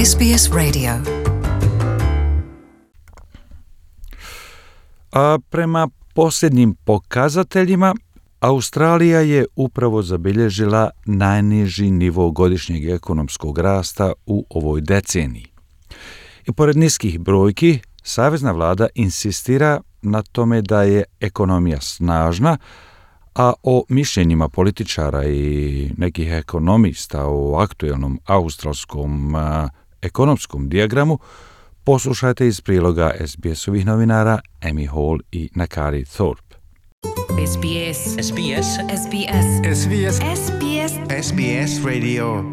SBS Radio. A prema posljednjim pokazateljima, Australija je upravo zabilježila najniži nivo godišnjeg ekonomskog rasta u ovoj deceniji. I pored niskih brojki, savezna vlada insistira na tome da je ekonomija snažna, a o mišljenjima političara i nekih ekonomista o aktuelnom australskom ekonomskom dijagramu poslušajte iz priloga SBS-ovih novinara Amy Hall i Nakari Thorpe. SBS. SBS. SBS. SBS. SBS. SBS Radio.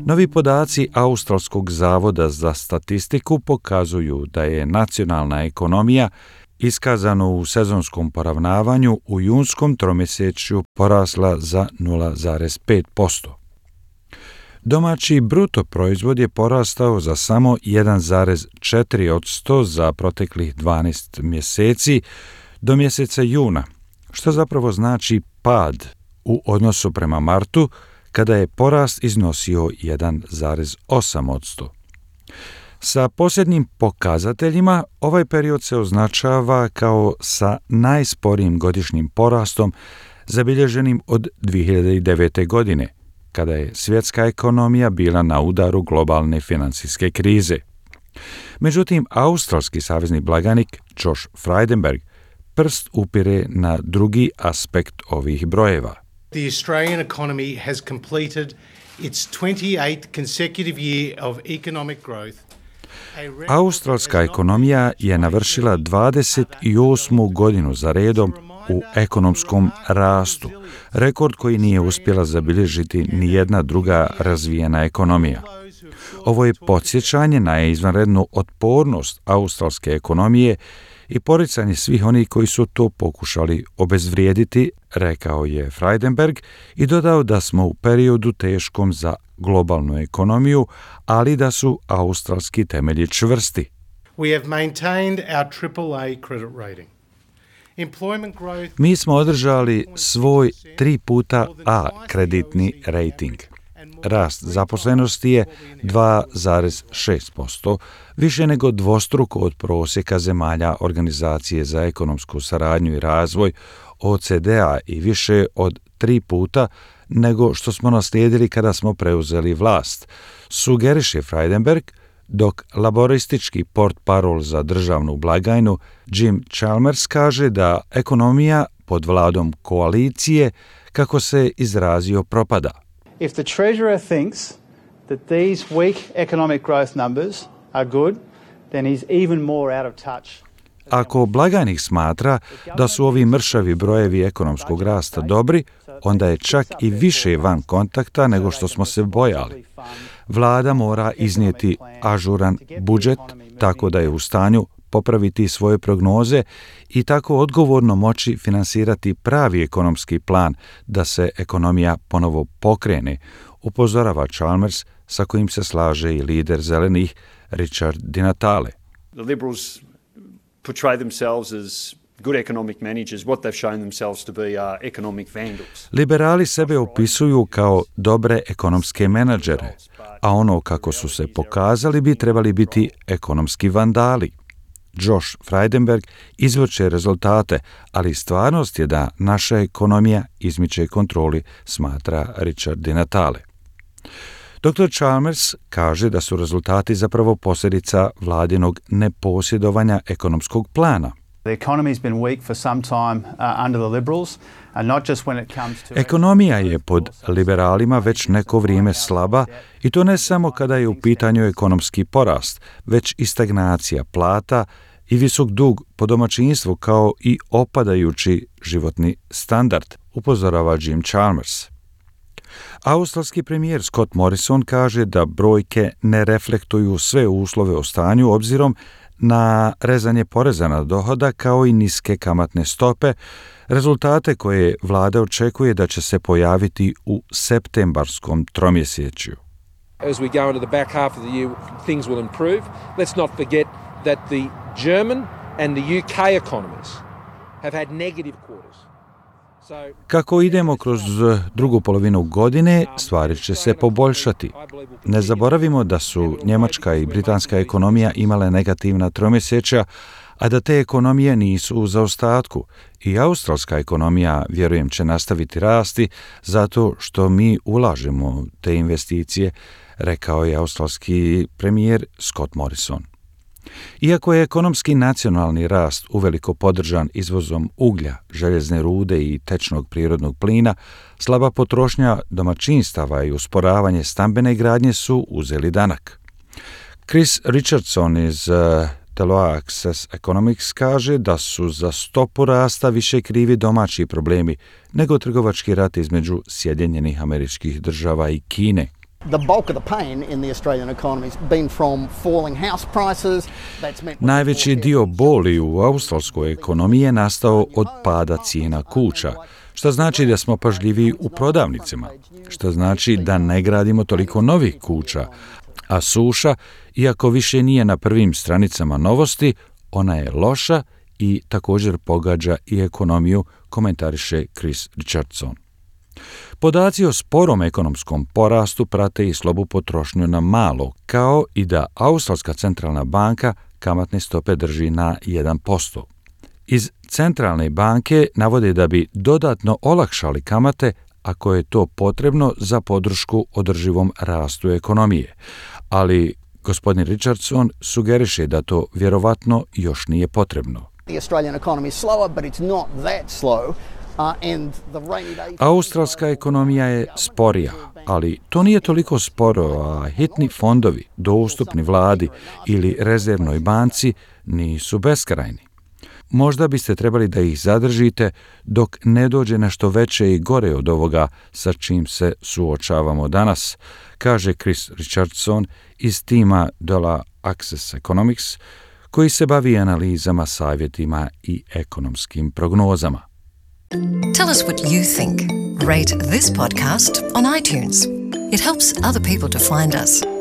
Novi podaci Australskog zavoda za statistiku pokazuju da je nacionalna ekonomija iskazano u sezonskom poravnavanju u junskom tromjesečju porasla za 0,5%. Domaći bruto proizvod je porastao za samo 1,4% za proteklih 12 mjeseci do mjeseca juna, što zapravo znači pad u odnosu prema martu, kada je porast iznosio 1,8%. Sa posljednjim pokazateljima, ovaj period se označava kao sa najsporijim godišnjim porastom zabilježenim od 2009. godine, kada je svjetska ekonomija bila na udaru globalne financijske krize. Međutim, australski savezni blagajnik Josh Frydenberg prst upire na drugi aspekt ovih brojeva. The Australian economy has completed its 28th consecutive year of economic growth. Australska ekonomija je navršila 28. godinu za redom u ekonomskom rastu, rekord koji nije uspjela zabilježiti ni jedna druga razvijena ekonomija. Ovo je podsjećanje na izvanrednu otpornost australske ekonomije i poricanje svih onih koji su to pokušali obezvrijediti, rekao je Frydenberg i dodao da smo u periodu teškom za globalnu ekonomiju, ali da su australski temelji čvrsti. We have maintained our AAA credit rating. Employment growth. Mi smo održali svoj 3 puta A kreditni rating. Rast zaposlenosti je 2,6%, više nego dvostruko od prosjeka zemalja Organizacije za ekonomsku saradnju i razvoj OCDE-a i više od 3 puta nego što smo naslijedili kada smo preuzeli vlast, sugeriše Frydenberg, dok laboristički portparol za državnu blagajnu Jim Chalmers kaže da ekonomija pod vladom koalicije, kako se izrazio, propada. If the Treasurer thinks that these weak economic growth numbers are good, then he's even more out of touch. Ako blagajnik smatra da su ovi mršavi brojevi ekonomskog rasta dobri, onda je čak i više van kontakta nego što smo se bojali. Vlada mora iznijeti ažuran budžet tako da je u stanju popraviti svoje prognoze i tako odgovorno moći finansirati pravi ekonomski plan da se ekonomija ponovo pokrene, upozorava Chalmers, sa kojim se slaže i lider zelenih Richard Di Natale. The Liberals portray themselves as good economic managers. What they've shown themselves to be are economic vandals. Liberali sebe opisuju kao dobre ekonomske menadžere, a ono kako su se pokazali bi trebali biti ekonomski vandali. Josh Frydenberg izvrće rezultate, ali stvarnost je da naša ekonomija izmiče kontroli, smatra Richard Di Natale. Dr. Chalmers kaže da su rezultati zapravo posljedica vladinog neposjedovanja ekonomskog plana. The economy's been weak for some time under the Liberals, and not just when it comes to... Ekonomija je pod liberalima već neko vrijeme slaba i to ne samo kada je u pitanju ekonomski porast, već i stagnacija plata i visok dug po domaćinstvu kao i opadajući životni standard, upozorava Jim Chalmers. Australski premijer Scott Morrison kaže da brojke ne reflektuju sve uslove o stanju obzirom na rezanje poreza na dohodak kao i niske kamatne stope, rezultate koje vlada očekuje da će se pojaviti u septembarskom tromjesečju. As we go into the back half of the year, things will improve. Let's not forget that the German and the UK economies have had negative quarters. Kako idemo kroz drugu polovinu godine, stvari će se poboljšati. Ne zaboravimo da su njemačka i britanska ekonomija imale negativna tromjesečja, a da te ekonomije nisu u zaostatku. I australska ekonomija, vjerujem, će nastaviti rasti zato što mi ulažemo te investicije, rekao je australski premijer Scott Morrison. Iako je ekonomski nacionalni rast uveliko podržan izvozom uglja, željezne rude i tečnog prirodnog plina, slaba potrošnja domaćinstava i usporavanje stambene gradnje su uzeli danak. Chris Richardson iz Deloitte Access Economics kaže da su za stopu rasta više krivi domaći problemi nego trgovački rat između Sjedinjenih Američkih Država i Kine. Najveći dio boli u australskoj ekonomiji je nastao od pada cijena kuća, što znači da smo pažljiviji u prodavnicama, što znači da ne gradimo toliko novih kuća, a suša, iako više nije na prvim stranicama novosti, ona je loša i također pogađa i ekonomiju, komentariše Chris Richardson. Podaci o sporom ekonomskom porastu prate i slabu potrošnju na malo, kao i da Australska centralna banka kamatne stope drži na 1%. Iz centralne banke navode da bi dodatno olakšali kamate ako je to potrebno za podršku održivom rastu ekonomije, ali gospodin Richardson sugeriše da to vjerovatno još nije potrebno. Australska ekonomija je sporija, ali to nije toliko sporo, a hitni fondovi, dostupni vladi ili rezervnoj banci nisu beskrajni. Možda biste trebali da ih zadržite dok ne dođe nešto veće i gore od ovoga sa čim se suočavamo danas, kaže Chris Richardson iz tima Deloitte Access Economics, koji se bavi analizama, savjetima i ekonomskim prognozama. Tell us what you think. Rate this podcast on iTunes. It helps other people to find us.